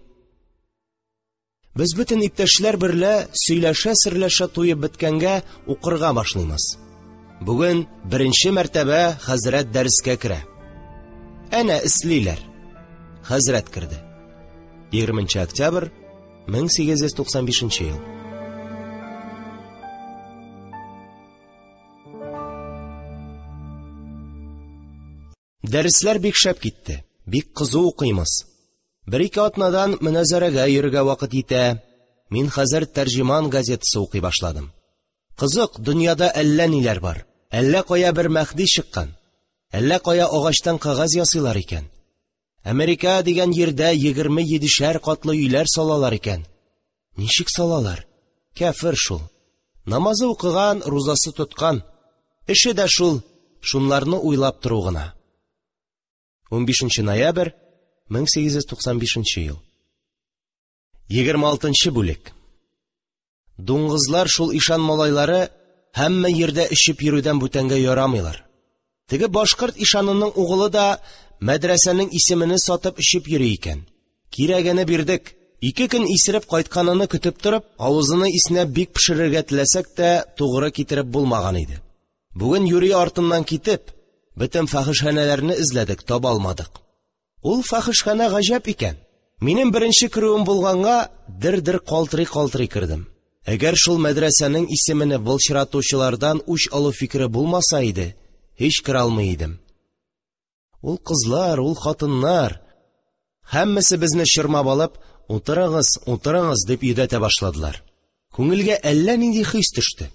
Без бөтен иптәшләр берлә сөйләшә-серләшә туеп беткәнгә укырга башлыймыз. Бүген беренче мәртәбә хәзрәт дәрескә керә. Әнә эслиләр. Хәзрәт керде. егерменче октябрь мең сигез йөз туксан бишенче ел. Дәресләр бик шәп китте. Бик кызу укыймыз. Бер ике атнадан мөнәзәрәгә йөрергә вакыт итә. Мин хәзер Тәрҗеман газетасы укый башладым. Кызык, дөньяда әллә ниләр бар. Әллә кая бер Мәһди чыккан. Әллә кая агачтан кәгазь ясыйлар икән. Америка дигән җирдә егерме йидешәр катлы өйләр салалар икән. Ничек салалар? Кәфер шул. Намазы укыган, рузасы тоткан. Эше дә шул, шунларны уйлап тору гына. Унбишенче ноябрь мең сигез йөз туксан бишенче ел. Егерме алтынчы бүлек. Дуңгызлар шул ишан малайлары һәммә җирдә эчеп йөрүдән бүтәнгә ярамыйлар. Теге башкорт ишанының угылы да мәдрәсәнең исемене сатып эчеп йөри икән. Кирәгене бирдек. Ике көн исереп кайтканыны көтеп торып, авызыны иснәп бик пешерергә теләсәк тә, тугры китереп булмаган иде. Бүген юри артыннан китеп, Бөтен фахишханәләрне эзләдек, таба алмадык. Ул фахишханә гаҗәп икән. Минем беренче керүем булганга, дер-дер калтырый-калтырый кердем. Әгәр шул мәдрәсәнең исемене былчыратучылардан үч алу фикере булмаса иде, һич керә алмый идем. Ул кызлар, ул хатыннар, һәммәсе безне чормап алып, «Утырыгыз, утырыгыз» дип йөдәтә башладылар. Күңелгә әллә нинди хис төште.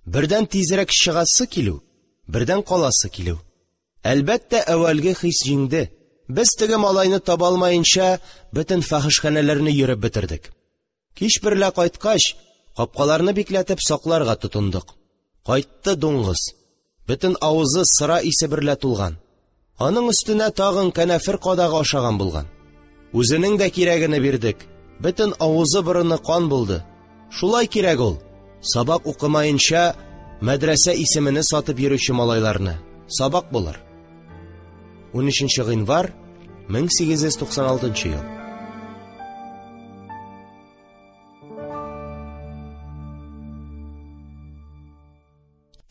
Бердән тизрәк чыгасы килү, бердән каласы килү. Әлбәттә, әүвәлге хис җиңде. Без теге малайны таба алмаенча, бөтен фахишханәләрне йөреп бетердек. Кич берлә кайткач, капкаларны бикләтеп сакларга тотындык. Кайтты дуңгыз. Бөтен авызы сыра исе берлә тулган. Аның өстенә тагын канәфер кадагы ашаган булган. Үзенең дә кирәгене бирдек. Бөтен авызы борыны кан булды. Шулай кирәк ул. Сабак укымаенча мәдрәсә исемене сатып йөрүче малайларны. Сабак булыр. Унөченче гыйнвар мең сигез йөз туксан алтынчы ел.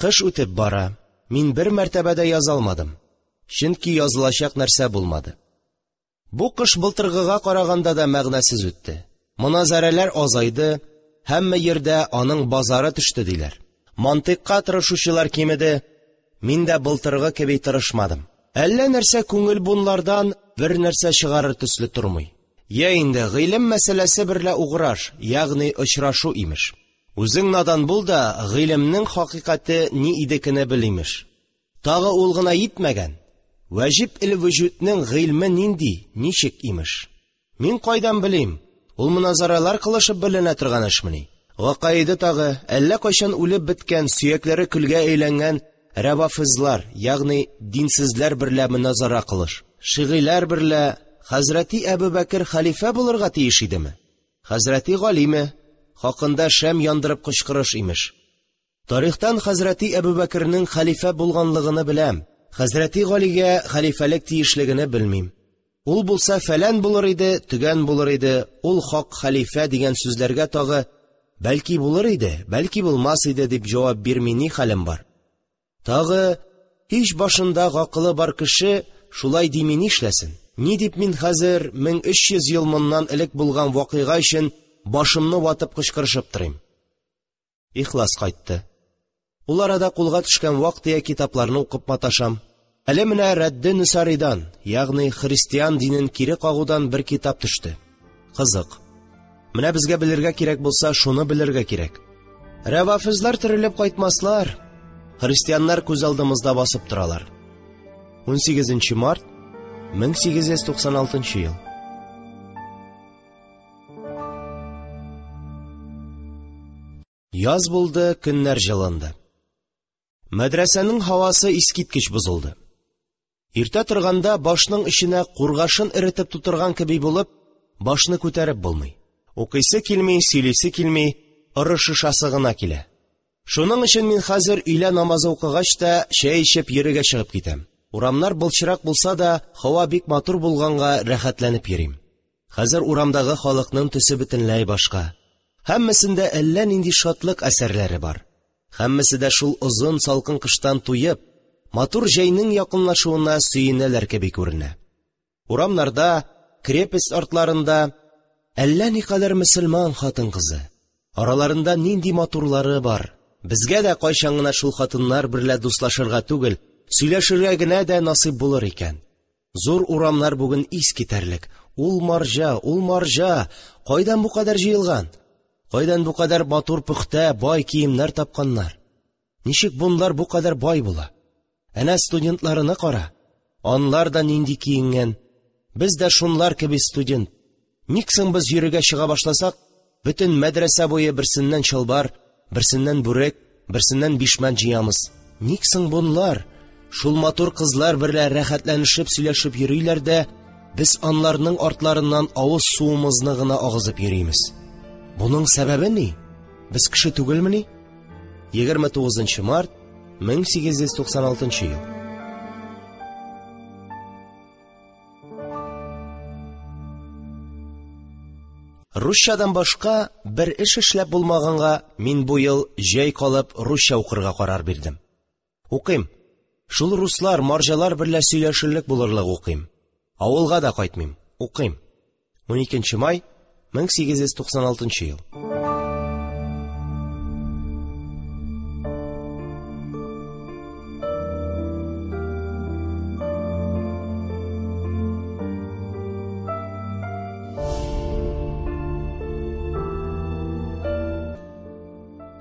Кыш үтеп бара. Мин бер мәртәбә дә яза алмадым. Чөнки язылачак нәрсә булмады. Бу кыш былтыргыга караганда да мәгънәсез үтте. Моназарәләр азайды, һәммә йирдә аның базары төште диләр. Мантыйкка тырышучылар кимеде. Мин дә былтыргы кеби тырышмадым. Әллә нәрсә күңел бунлардан бер нәрсә чыгарыр төсле тормый. Я инде гыйлем мәсьәләсе берлә уграш, ягъни очрашу имеш. Үзең надан бул да, гыйлемнең хакыйкате ни идекене бел имеш. Тагы ул гына йитмәгән. Вәҗиб ил вүҗүднең гыйльме нинди, ничек имеш? Мин кайдан белим? Ул моназаралар кылышып беленә торган эшмени? Гакаиде тагы әллә кайчан үлеп беткән, сөякләре көлгә әйләнгән рәвафизлар, ягъни динсезләр берлә моназара кылыш. Шигыйләр берлә Хәзрәти Әбүбәкер хәлифә булырга тиеш идеме? Хәзрәти Галиме хакында шәм яндырып кычкырыш имеш. Тарихтан Хәзрәти Әбүбәкернең хәлифә булганлыгын беләм. Хәзрәти Галигә хәлифәлек тиешлегене белмим. Ул булса фәлән булыр иде, төгән булыр иде, ул хак хәлифә дигән сүзләргә тагы бәлки булыр иде, бәлки булмас иде дип җавап бирми ни хәлем бар? Тагы һич башында гакылы бар кеше шулай дими нишләсен? Ни дип мин хәзер мең өч йөз ел моннан элек булган вакыйга өчен башымны ватып кычкырышып торыйм? Ихлас кайтты. Ул арада кулга төшкән вак-төяк китапларны укып маташам. Әле менә Рәдде Нусаридан, ягъни христиан динен кире кагудан бер китап төште. Кызык. Менә безгә белергә кирәк булса, шуны белергә кирәк. Рәвафизлар терелеп кайтмаслар. Христианнар күз алдымызда басып торалар. Унсигезенче март мең сигез йөз туксан алтынчы ел. Яз булды, көннәр җылынды. Мәдрәсәнең һавасы искиткеч бозылды. Иртә торганда башның эченә кургашын эретеп тутырган кеби булып, башны күтәреп булмый. Укыйсы килми, сөйлисе килми, ырышышасы гына килә. Шуның өчен мин хәзер өйлә намазы укыгач та чәй эчеп йөрергә чыгып китәм. Урамнар былчырак булса да, һава бик матур булганга рәхәтләнеп йөрим. Хәзер урамдагы халыкның төсе бөтенләй башка. Һәммәсендә әллә нинди шатлык әсәрләре бар. Һәммәсе дә шул озын салкын кыштан туеп, матур җәйнең якынлашуына сөенәләр кеби күренә. Урамнарда, крепость артларында әллә никадәр мөселман хатын-кызы. Араларында нинди матурлары бар. Безгә дә кайчан гына шул хатыннар берлә дуслашырга түгел, сөйләшергә генә дә насыйп булыр икән. Зур урамнар бүген ис китәрлек. Ул марҗа, ул марҗа, кайдан бу кадәр җыелган? Кайдан бу кадәр матур пөхтә, бай киемнәр тапканнар? Ничек бунлар бу кадәр бай була? Әнә студентларына кара. Анлар да нинди киенгән. Без дә шунлар кеби студент. Ник соң без йөрергә чыга башласак, бөтен мәдрәсә буе берсеннән чалбар, берсеннән бүрек, берсеннән бишмәт җыямыз. Ник соң бунлар шул матур кызлар берлә рәхәтләнешеп сөйләшеп йөриләр дә, без анларның артларыннан авыз суымызны гына агызып йөримез? Буның сәбәбе ни? Без кеше түгелмени? Егерме тугызынчы март мең сигез йөз туксан алтынчы ел. Русчадан башка бер эш эшләп булмаганга, мин бу ел җәй калып русча укырга карар бирдем. Укыйм. Шул руслар, марҗалар берлә сөйләшерлек булырлык укыйм. Авылга да кайтмыйм, укыйм. уникенче май мең сигез йөз туксан алтынчы ел.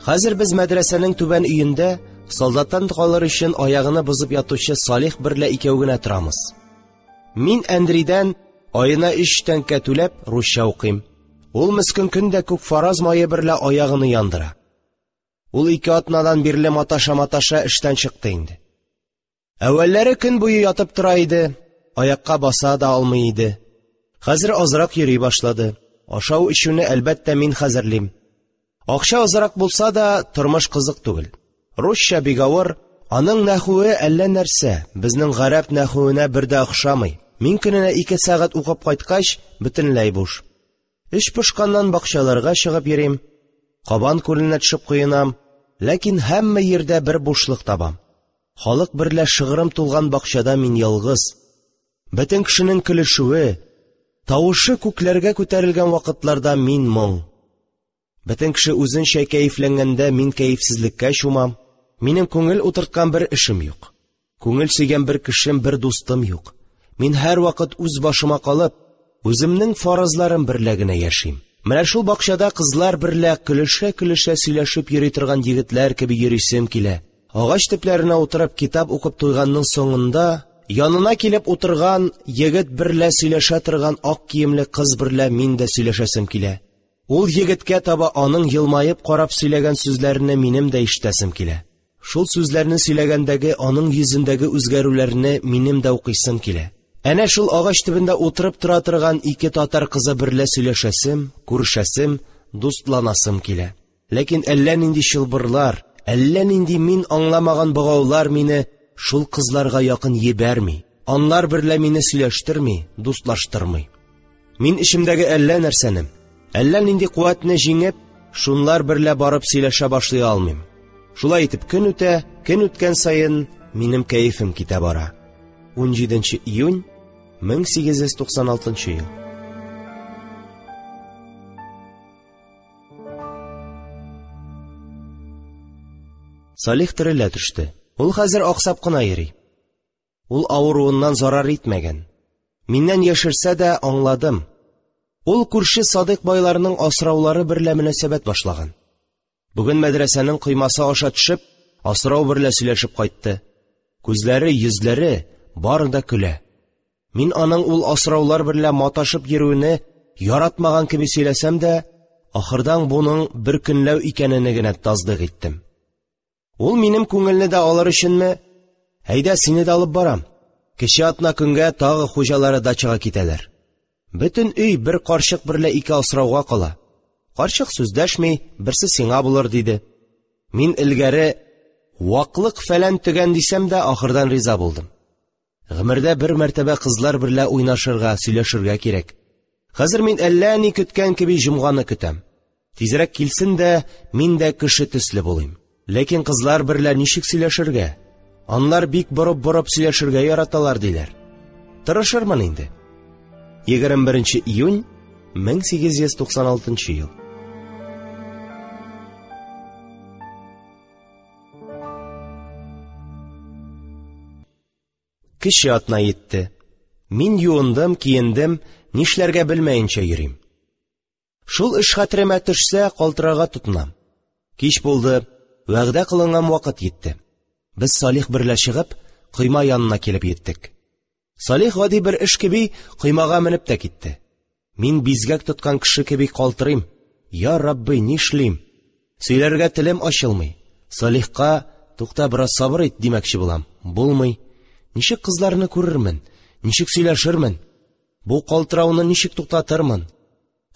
Хәзер без мәдрәсәнең түбән өендә солдаттан калыр өчен аягыны бозып ятучы Салих берлә икәү генә торамыз. Мин Андрейдән аена өч тәңкә түләп русча укыйм. Ул мескен көн дә күк фараз мае берлә аягыны яндыра. Ул ике атнадан бирле маташа-маташа эштән чыкты инде. Әүвәлләре көн буе ятып тора иде, аякка баса да алмый иде. Хәзер азрак йөри башлады. Ашау эчүне әлбәттә мин хәзерлим. Акча азрак булса да, тормыш кызык түгел. Русча бик авыр, аның нәхүе әллә нәрсә, безнең гарәп нәхүенә бер дә охшамый. Мин көненә ике сәгать укып кайткач, бөтенләй буш. Эш пошканнан бакчаларга чыгып йөрим, Кабан күленә төшеп коенам, ләкин һәммә җирдә бер бушлык табам. Халык берлә шыгрым тулган бакчада мин ялгыз. Бөтен кешенең көлешүе, тавышы күкләргә күтәрелгән вакытларда мин моң. Бөтен кеше үзенчә кәефләнгәндә мин кәефсезлеккә чумам. Минем күңел утырткан бер эшем юк. Күңел сөйгән бер кешем, бер дустым юк. Мин һәрвакыт үз башыма калып, үземнең фаразларым берлә генә яшим. Менә шул бакчада кызлар берлә көлешә-көлешә сөйләшеп йөри торган егетләр кеби йөрисем килә. Агач төпләренә утырып китап укып туйганның соңында янына килеп утырган егет берлә сөйләшә торган ак киемле кыз берлә мин дә сөйләшәсем килә. Ул егеткә таба аның елмаеп карап сөйләгән сүзләрне минем дә ишетәсем килә. Шул сүзләрне сөйләгәндәге аның йөзендәге үзгәрүләрне минем дә укыйсым килә. Әнә шул агач төбендә утырып тора торган ике татар кызы берлә сөйләшәсем, күрешәсем, дустланасым килә. Ләкин әллә нинди чылбырлар, әллә нинди мин аңламаган богаулар мине шул кызларга якын җибәрми. Анлар берлә мине сөйләштерми, дустлаштырмый. Мин эчемдәге әллә нәрсәне, әллә нинди куәтне җиңеп, шунлар берлә барып сөйләшә башлый алмыйм. Шулай итеп көн үтә, көн үткән саен минем кәефем китә бара. Унҗиденче июнь мең сигез йөз туксан алтынчы ел. Салих терелә төште. Ул хәзер аксап кына йөри. Ул авыруыннан зарар итмәгән. Миннән яшерсә дә аңладым. Ул күрше Садык байларының асраулары берлә мөнәсәбәт башлаган. Бүген мәдрәсәнең коймасы аша төшеп, асрау берлә сөйләшеп кайтты. Күзләре, йөзләре бары да көлә. Мин аның ул асраулар берлә маташып йөрүене яратмаган кеби сөйләсәм дә, ахырдан буның бер көнләү икәнене генә тасдык иттем. Ул минем күңелне дә алыр өченме? Әйдә, сине дә алып барам. Кече атна көнгә тагы хуҗалары дачага китәләр. Бөтен өй бер карчык берлә ике асрауга кала. Карчык сүз дәшми, берсе сиңа булыр диде. Мин элгәре ваклык фәлән төгән дисәм дә, ахырдан риза булдым. Гомердә бер мәртәбә кызлар берлә уйнашырга, сөйләшергә кирәк. Хәзер мин әллә ни көткән кеби җомганы көтәм. Тизрәк килсен дә, мин дә кеше төсле булыйм. Ләкин кызлар берлә ничек сөйләшергә? Анлар бик борып-борып сөйләшергә яраталар диләр. Тырышырмын инде. Егерме беренче июнь мең сигез йөз туксан алтынчы ел. Кече атна йитте. Мин юындым, киендем, нишләргә белмәенчә йөрим. Шул эш хәтеремә төшсә, калтырарга тотынам. Кич булды, вәгъдә кылынган вакыт йитте. Без Салих берлә чыгып, койма янына килеп йиттек. Салих гади бер эш кеби коймага менеп тә китте. Мин бизгәк тоткан кеше кеби калтырыйм. Я Рабби, нишлим? Сөйләргә телем ачылмый. Салихка, тукта, бераз сабыр ит димәкче булам. Булмый. Ничек кызларны күрермен? Ничек сөйләшермен? Бу калтырауны ничек туктатырмын?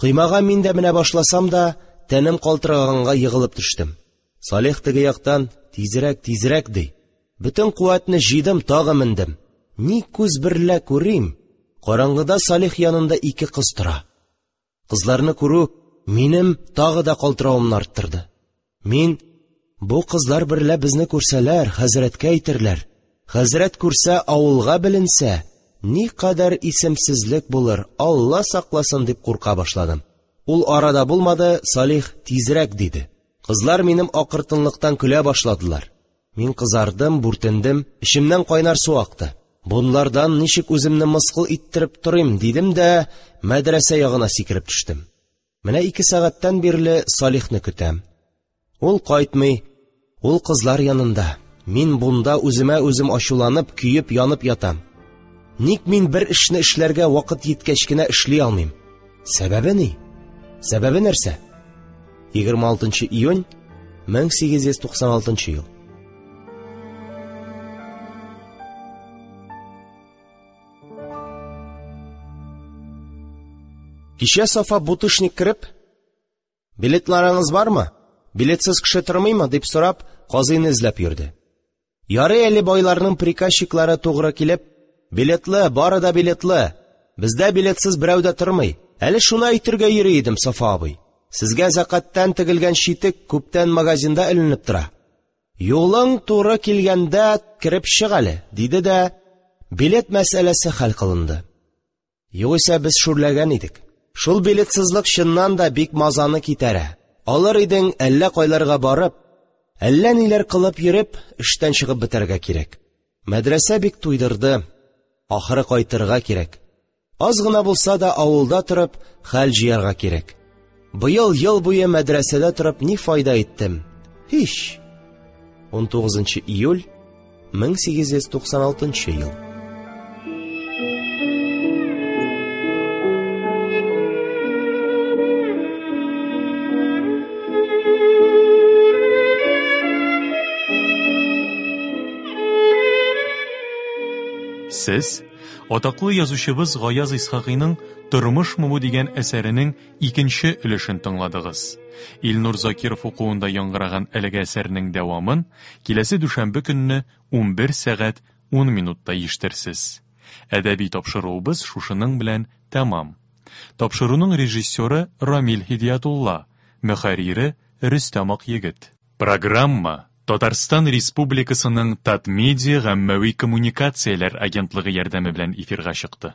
Коймага мин дә менә башласам да, тәнем калтыраганга егылып төштем. Салих теге яктан тизрәк, тизрәк ди. Бөтен куәтне җыйдым, тагы мендем. Ни күз берлә күрим? Караңгыда Салих янында ике кыз тора. Кызларны күрү минем тагы да калтыравымны арттырды. Мин бу кызлар берлә безне күрсәләр, хәзрәткә әйтерләр. Хәзрәт күрсә, авылга беленсә, никадәр исемсезлек булыр, Алла сакласын дип курка башладым. Ул арада булмады, Салих: «Тизрәк!» – диде. Кызлар минем акыртынлыктан көлә башладылар. Мин кызардым, бүртендем, эчемнән кайнар су акты. Бунлардан ничек үземне мыскыл иттереп торыйм, дидем дә, мәдрәсә ягына сикереп төштем. Менә ике сәгатьтән бирле Салихны көтәм. Ул кайтмый, ул кызлар янында. Мин бунда үземә үзем ачуланып, көеп янып ятам. Ник мин бер эшне эшләргә вакыт җиткәч кенә эшли алмыйм? Сәбәбе ни? Сәбәбе нәрсә? егерме алтынчы июнь мең сигез йөз туксан алтынчы ел. Кичә Сафа бутышник кереп, «Билетларыңыз бармы? Билетсез кеше тормыймы?» дип сорап, казыйны эзләп йөрде. Ярый әле байларның приказчиклары тугры килеп, «Билетлы, бары да билетлы. Бездә билетсез берәү дә тормый. Әле шуны әйтергә йөри идем, Сафа абый. Сезгә зәкаттан тегелгән читек күптән магазинда эленеп тора. Юлың туры килгәндә кереп чык әле», диде дә, билет мәсьәләсе хәл кылынды. Югыйсә без шүрләгән идек. Шул билетсызлык чыннан да бик мазаны китәрә. Алыр идең, әллә кайларга барып, әллә ниләр кылып йөреп, эштән чыгып бетәргә кирәк. Мәдрәсә бик туйдырды. Ахыры кайтырга кирәк. Аз гына булса да авылда торып, хәл җыярга кирәк. Быел ел буе мәдрәсәдә торып ни файда иттем? Һич. Унтугызынчы июль мең сигез йөз туксан алтынчы ел. Сез атаклы язучыбыз Гаяз Исхакыйның Тормышмы бу дигән әсәренең икенче өлешен тыңладыгыз. Илнур Закиров укуында яңгыраган әлеге әсәрнең дәвамын киләсе дүшәмбе көнне унбер сәгать ун минутта ишетерсез. Әдәби тапшыруыбыз шушының белән тәмам. Тапшыруның режиссеры Рамил Һидиятулла, мөхәррире Рөстәм Акъегет. Программа Татарстан Республикасының Татмедиа гаммәви коммуникацияләр агентлыгы ярдәме белән эфирга чыкты.